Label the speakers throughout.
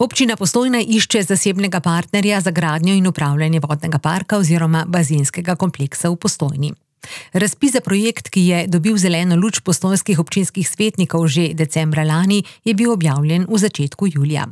Speaker 1: Občina Postojna išče zasebnega partnerja za gradnjo in upravljanje vodnega parka oziroma bazenskega kompleksa v Postojni. Razpis za projekt, ki je dobil zeleno luč postojnskih občinskih svetnikov že decembra lani, je bil objavljen v začetku julija.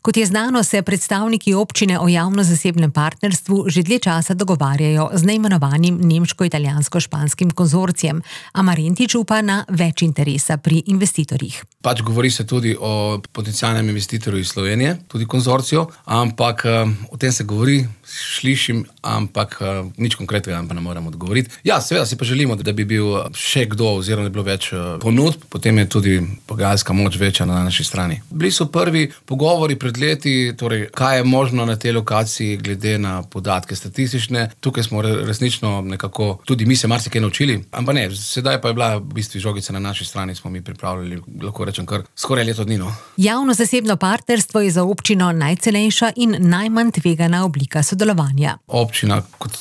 Speaker 1: Kot je znano, se predstavniki občine o javno-zasebnem partnerstvu že dlje časa dogovarjajo z neimenovanim nemško-italijansko-španskim konzorcijem, a Marentič upa na več interesa pri investitorjih.
Speaker 2: Govori se tudi o potencialnem investitorju iz Slovenije, tudi konzorcijo, ampak o tem se govori, slišim, ampak nič konkretnega pa ne morem odgovoriti. Ja, seveda si pa želimo, da bi bil še kdo oziroma da bi bilo več ponudb, potem je tudi pogajalska moč večja na naši strani. Bili so prvi pogovori pred leti, torej kaj je možno na tej lokaciji glede na podatke statistične. Tukaj smo resnično nekako, tudi mi se marsikaj naučili, ampak ne, sedaj pa je bila v bistvu žogica na naši strani, smo mi pripravljali, lahko rečem kar skoraj leto dni.
Speaker 1: Javno-zasebno partnerstvo je za občino najcenejša in najmanj tvegana oblika sodelovanja.
Speaker 2: Občina kot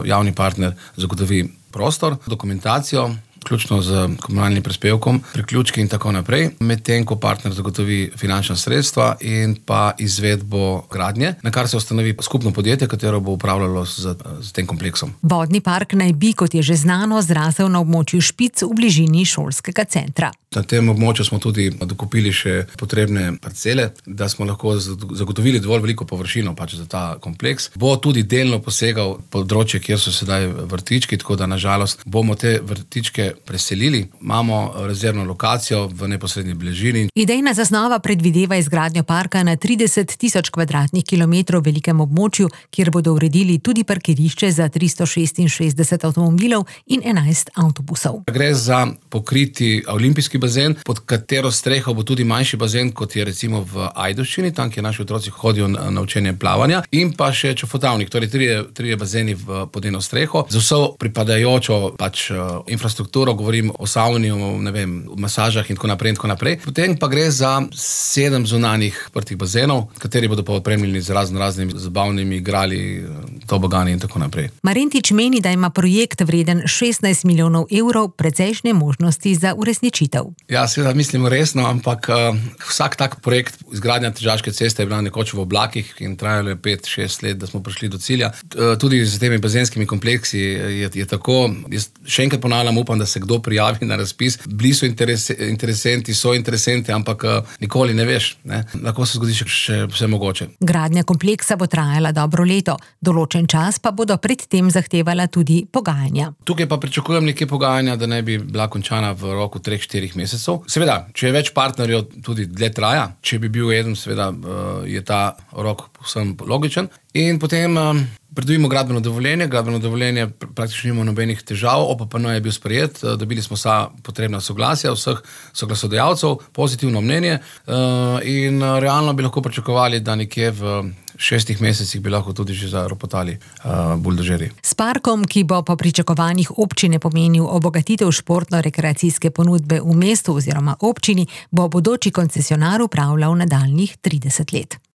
Speaker 2: javni partner zagotovi prostor, dokumentacijo, vključno z komunalnim prispevkom, priključki in tako naprej, medtem ko partner zagotovi finančna sredstva in pa izvedbo gradnje, na kar se ustanovi skupno podjetje, katero bo upravljalo z tem kompleksom.
Speaker 1: Vodni park naj bi, kot je že znano, zrasel na območju Špic v bližini šolskega centra.
Speaker 2: Na tem območju smo tudi dokupili še potrebne parcele, da smo lahko zagotovili dovolj veliko površino za ta kompleks. Bo tudi delno posegal področje, kjer so sedaj vrtički, tako da nažalost bomo te vrtičke preselili. Imamo rezervno lokacijo v neposrednji bližini.
Speaker 1: Idejna zasnova predvideva izgradnjo parka na 30.000 kvadratnih kilometrov velikem območju, kjer bodo uredili tudi parkirišče za 366 avtomobilov in 11 avtobusov.
Speaker 2: Gre za pokriti olimpijski bazen, pod katero streho bo tudi manjši bazen, kot je recimo v Ajdovščini, tam, kjer naši otroci hodijo na učenje plavanja, in pa še čofotavnik, torej trije bazeni pod eno streho, z vso pripadajočo infrastrukturo, govorim o savni, o masažah in tako naprej. Potem pa gre za 7 zunanjih odprtih bazenov, kateri bodo pa opremljeni z raznimi zabavnimi igrali, tobogani in tako naprej.
Speaker 1: Marentič meni, da ima projekt vreden 16 milijonov evrov precejšnje možnosti za uresničitev.
Speaker 2: Ja, seveda mislim resno, ampak vsak tak projekt izgradnja Tržaške ceste je bila nekoč v oblakih in trajalo je 5-6 let, da smo prišli do cilja. Tudi z temi bazenskimi kompleksi je tako. Jaz še enkrat ponavljam, upam, da se kdo prijavi na razpis. Bili so interesenti, ampak nikoli ne veš. Lahko se zgodi še vse mogoče.
Speaker 1: Gradnja kompleksa bo trajala dobro leto. Določen čas pa bodo predtem zahtevala tudi pogajanja.
Speaker 2: Tukaj pa pričakujem nekaj pogajanja, da ne bi bila končana v roku 3-4 mesecev. Seveda, če je več partnerjev, tudi dlje traja. Če bi bil eden, seveda je ta rok povsem logičen. In potem pridobimo gradbeno dovoljenje. Gradbeno dovoljenje praktično nima nobenih težav. OPPN je bil sprejet, dobili smo vsa potrebna soglasja vseh soglasodajalcev, pozitivno mnenje in realno bi lahko pričakovali, da nekje v 6 mesecih bi lahko tudi že zaropotali buldožerji.
Speaker 1: S parkom, ki bo po pričakovanjih občine pomenil obogatitev športno-rekreacijske ponudbe v mestu oziroma občini, bo bodoči koncesionar upravljal nadaljnjih 30 let.